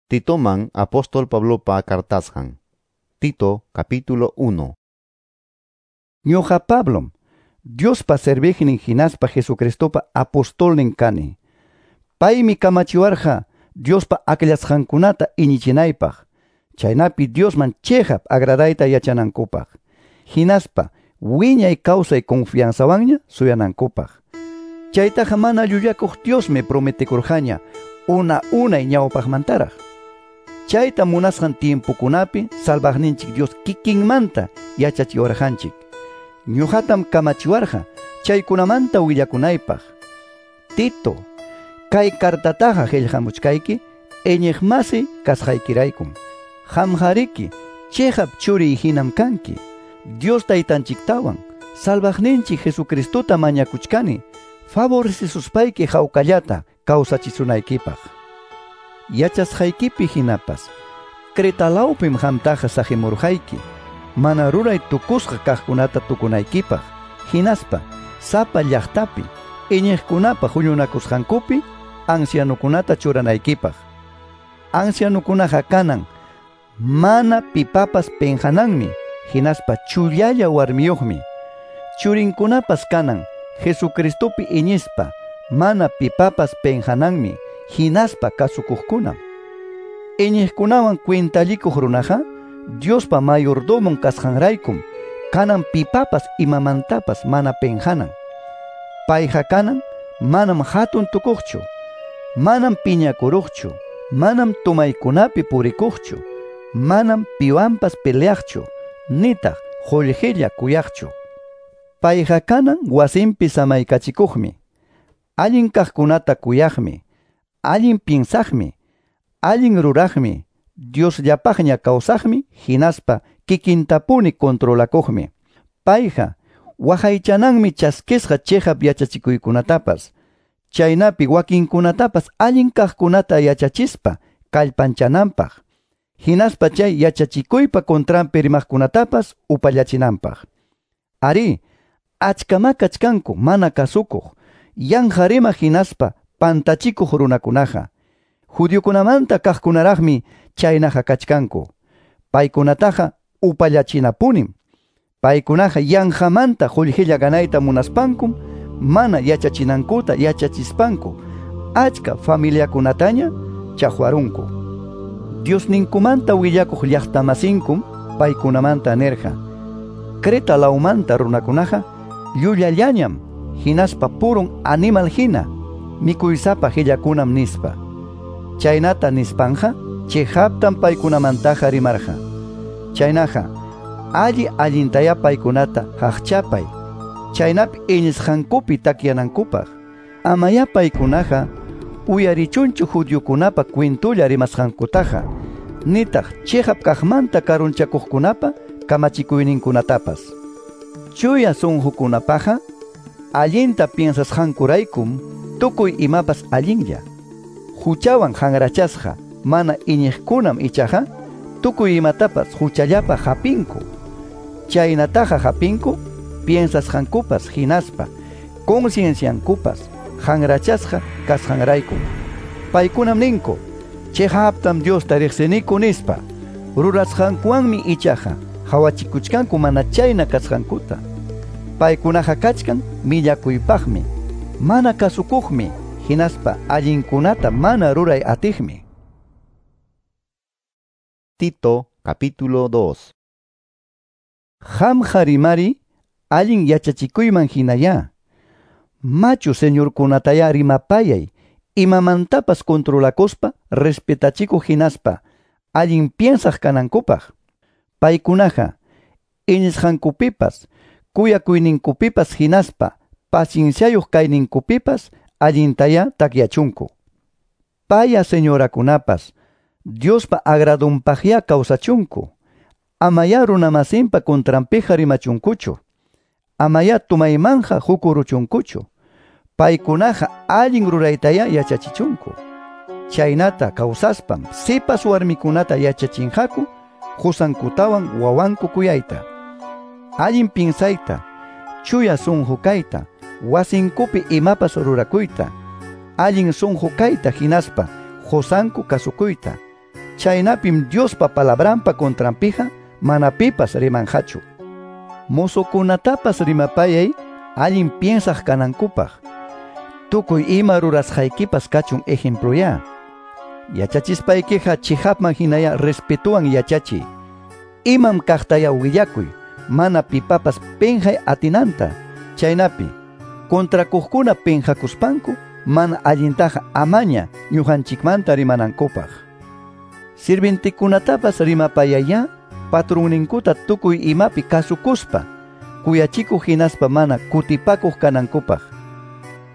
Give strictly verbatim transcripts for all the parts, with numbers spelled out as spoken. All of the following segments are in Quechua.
Titoman apóstol Pablopa cartasqan. Tito capítulo uno. Ñuqa Pablom, Diospa serviqnin hinaspa Jesucristopa apostolnin kani. Paymi kamachiwarqa Diospa akllasqankunata iñichinaypaq, chaynapi Diosman chiqap agradayta yachanankupaq, hinaspa wiñay kawsay confianzawanña suyanankupaq. Chaytaqa mana llullakuq Diosmi prometekurqaña una unay ñawpaqmantaraq. Chayta munasqan tiempokunapi salvaqninchik Dios kikinmanta yachachiwarqanchik. Ñuqatam kamachiwarqa chaykunamanta willakunaypaq. Tito, kay cartataqa qillqamuchkayki iñiqmasi kasqaykiraykum. Qamqariki chiqap churiy hinam kanki. Dios taytanchiktawan salvaqninchik Jesucristota mañakuchkani favorecesuspayki hawkallata kawsachisunaykipaq. Yachasqaykipi hinapas Cretalawpim qamtaqa saqimurqayki mana ruray tukusqa kaqkunata tukunaykipaq, hinaspa sapa llaqtapi iñiqkunapa huñunakusqankupi ancianukunata churanaykipaq. Ancianukunaqa kanan mana pipapas penqananmi, hinaspa chullalla warmiyuqmi. Churinkunapas kanan Jesucristopi iñispa mana pipapas penqananmi, hinaspa kasukuqkunam. Iñiqkunawan cuentallikuq runaqa Diospa mayordomon kasqanraykum kanan pipapas imamantapas mana penqanan. Payqa kanan manam hatun tukuqchu, manam piñakuruqchu, manam tumaykunapi purikuqchu, manam piwanpas peleaqchu, nitaq qullqilla kuyaqchu. Payqa kanan wasinpi samaykachikuqmi, allin kaqkunata kuyaqmi, allin piensaqmi, allin ruraqmi, Diosllapaqña kawsaqmi, hinaspa kikintapuni controlakuqmi. Payqa waqaychananmi chaskisqa chiqap yachachikuykunatapas, chaynapi wakinkunatapas allin kaqkunata yachachispa kallpanchananpaq, hinaspa chay yachachikuypa contranpi rimaqkunatapas upallachinanpaq. Ari, achkama kachkanku mana kasukuq, yanqa rimaq hinaspa pantachikuq runakunaqa. Judiokunamanta kaqkunaraqmi chaynaqa kachkanku. Paykunataqa upallachinapunim. Paykunaqa yanqamanta qullqilla ganayta munaspankum mana yachachinankuta yachachispanku achka familiakunataña chaqwarunku. Diosninkumanta willakuq llaqtamasinkum paykunamanta nirqa: Creta lawmanta runakunaqa llullallañam, hinaspa purun animal hina mikuysapa qillakunam nispa. Chaynata nispanja chiqaptam paykunamantaqa rimarqa. Chaynaqa alli allintaya paykunata qaqchapay, chaynapi iñisqankupi takyanankupaq. Amaya paykunaqa uyarichunchu judiokunapa kwintulla rimasqankutaqa, nitaq chiqap kaqmanta karunchakuqkunapa kamachikuyninkunatapas. Chuya sunqukunapaqa allinta piensasqankuraykum tukuy imapas allinlla. Huchawan hanrachasqa mana iñiqkunam ichaqa tukuy imatapas huchallapa hapinku. Chaynataqa hapinku piensasqankupas hinaspa concienciankupas hanrachasqa kasqanraykum. Paykunam ninku chiqaptam Diosta riqsiniku nispa, rurasqankuwanmi ichaqa hawachikuchkanku mana chayna kasqankuta. Paykunaqa kachkan millakuypaqmi, mana kasukuqmi, hinaspa allinkunata mana ruray atiqmi. Tito capítulo dos. Qamqa rimari allin yachachikuyman hinaya. Machu señorkunataya rimapayay, imamantapas controlakuspa respetachikuq hinaspa allin piensaq kanankupaq. Paykunaqa iñisqankupipas, kuyakuyninkupipas hinaspa pacienciayuq kayninkupipas allintaya takyachunku. Paya señorakunapas Diospa agradunpaqya kawsachunku. Amaya runamasinpa contranpiqa rimachunkuchu. Amaya tumaymanja hukuruchunkuchu. Paykunaqa allin ruraytaya yachachichunku. Chaynata kawsaspam sipas warmikunata yachachinqaku qusankutawan wawanku kuyayta, allin pinsayta, chuya sunqu kayta, wasinkupi imapas rurakuyta, allin sunqu kayta hinaspa qusanku kasukuyta, Chaynapim Diospa palabranpa contranpiqa mana pipas rimanqachu. Mozokunatapas rimapayay allin piensaq kanankupaq. Tukuy ima rurasqaykipas kachun ejemploya. Yachachispaykiqa chihapman hinaya respetuwan yachachiy. Imam kaqtaya willakuy, mana pipapas penqay atinanta. Chaynapi kontrakuqkuna penqakuspanku mana allintaqa amaña ñuqanchikmanta rimanankupaq. Sirvintikunatapas rimapayaya patrunninkuta tukuy imapi kasukuspa, kuyachikuq hinaspa mana kutipakuq kanankupaq.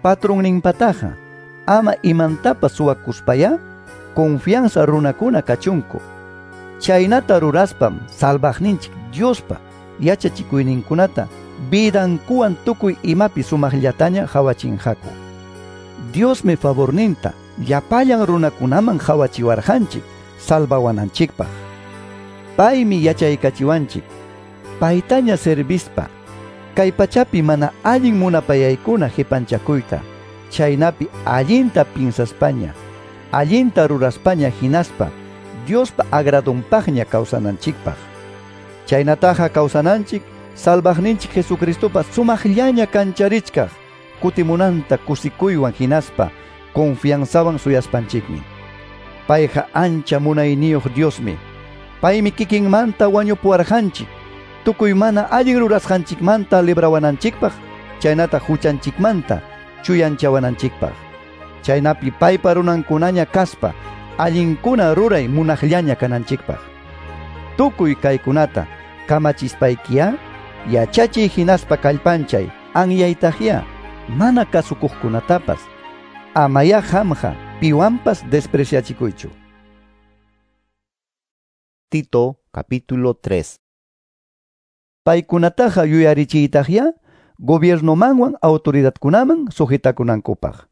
Patrunninpataqa ama imantapas suwakuspaya confianza runakuna kachunku. Chaynata ruraspam salvaqninchik Diospa yachachikuyninkunata vidankuwan tukuy imapi sumaqllataña qhawachinqaku. Diosmi favorninta llapallan runakunaman qhawachiwarqanchik salvawananchikpaq. Paymi yachaykachiwanchik paytaña servispa kay pachapi mana allin munapayaykuna qipanchakuyta, chaynapi allinta pinsaspaña, allinta ruraspaña hinaspa Diospa agradonpaqña kawsananchikpaq. Chaynataqa kawsananchik salvaqninchik Jesucristopa sumaqllaña kancharichkaq kutimunanta kusikuywan hinaspa confianzawan suyaspanchikmi. Payqa ancha munayniyuq Diosmi. Paymi kikinmanta wañupuwarqanchik tukuy mana allin rurasqanchikmanta librawananchikpaq, chaynata huchanchikmanta chuyanchawananchikpaq. Chaynapi paypa runankunaña kaspa allinkuna ruray munaqllaña kananchikpaq. Tukuy kaykunata kamachispaykiya yachachiy hinaspa kallpanchay anyaytaqya mana kasukuqkunatapas amaya qamqa piwanpas despreciachikuychu. Tito capítulo tres. Paykunataqa yuyarichiytaqya gobiernomanwan autoridadkunaman sujetakunankupaq.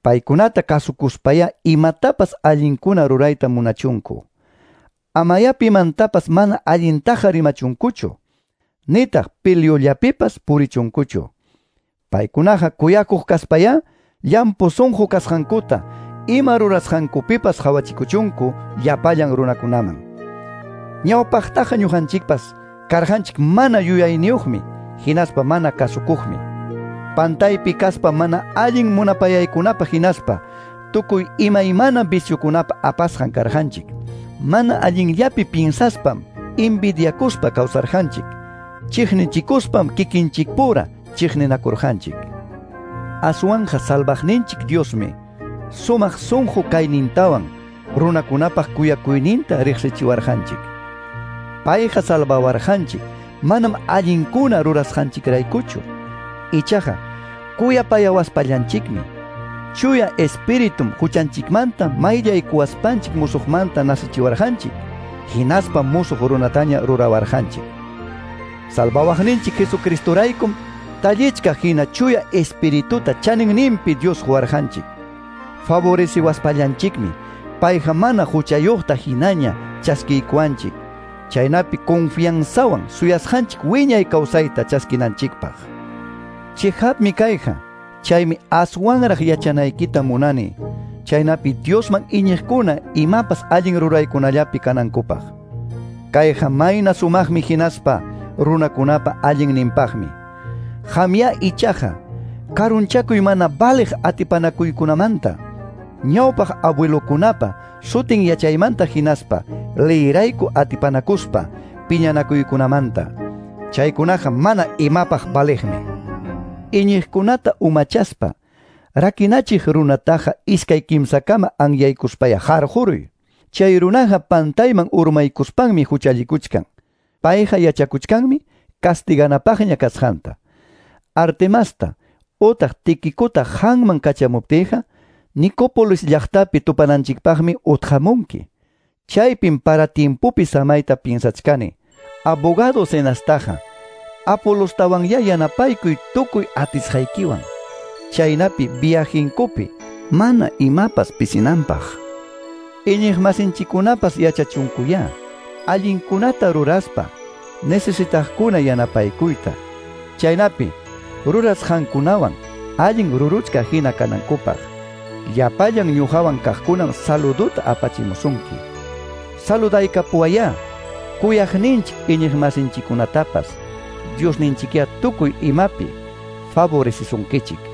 Paykunata kasukuspaya imatapas allinkuna rurayta munachunku. Amaya pimantapas mana allintaqa rimachunkuchu, nitaq piliullapipas purichunkuchu. Paykunaqa kuyakuq kaspaya llampu sunqu kasqankuta ima rurasqankupipas qhawachikuchunku llapallan runakunaman. Ñawpaqtaqa ñuqanchikpas karqanchik mana yuyayniyuqmi hinaspa mana kasukuqmi. Pantaypi kaspa mana allin munapayaykunapa hinaspa tukuy imaymana viciokunapa apasqan karqanchik. Mana allinllapi pinsaspam envidiakuspa kawsarqanchik. Chiqnichikuspam kikinchikpura chiqninakurqanchik. Aswanja salvaqninchik Diosmi sumaq sunqu kaynintawan runakunapaq kuyakuyninta riqsichiwarqanchik. Payqa salvawarqanchik manam allinkuna rurasqanchikraykuchu. Ichaqa kuyapayawaspallanchikmi. Chuya espiritum huchanchikmanta mayllaykuwaspanchik musuqmanta nasichiwarqanchik, hinaspa musuq runataña rurawarqanchik. Salvawaqninchik Jesucristoraykum tallichkaq hina chuya espirituta chaninninpi Dios quwarqanchik. Favoreciwaspallanchikmi payqa mana huchayuqta hinaña chaskiykuwanchik, chaynapi confianzawan suyasqanchik wiñay kawsayta chaskinanchikpaq. Chihapmi kayqa, chaymi aswanraq yachanaykita munani, chaynapi Diosman iñiqkuna imapas allin ruraykunallapi kanankupaq. Kayqa mayna sumaqmi hinaspa runakunapa allinninpaqmi. Qamya ichaqa karunchakuy mana valiq atipanakuykunamanta, ñawpaq abuelokunapa sutin yachaymanta hinaspa leyrayku atipanakuspa piñanakuykunamanta. Chaykunaqa mana imapaq valiqmi. Iñiqkunata umachaspa rakinachiq runataqa iskay kimsakama anyaykuspaya harquruy. Chay runaqa pantayman urmaykuspanmi huchallikuchkan. Payqa yachakuchkanmi castiganapaqña kasqanta. Artemasta utaq Tiquicota qanman kachamuptiyqa Nicópolis llaqtapi tupananchikpaqmi utqamunki. Chaypim para tiempopi samayta piensachkani. Abogado Zenastaqa Apolostawanya yanapaykuy tukuy atisqaykiwan. Chaynapi viajinkupi mana imapas pisinanpaq. Iñiqmasinchikkunapas yachachunkuya allinkunata ruraspa necesitaqkuna yanapaykuyta. Chaynapi rurasqankunawan allin ruruchka hina kanankupaq. Llapallan ñuqawan kaqkunam saluduta apachimusunki. Saludaykapuwayá kuyaqninchik iñiqmasinchikkunatapas. Diosninchikyá tukuy imapi favorecisunkichik.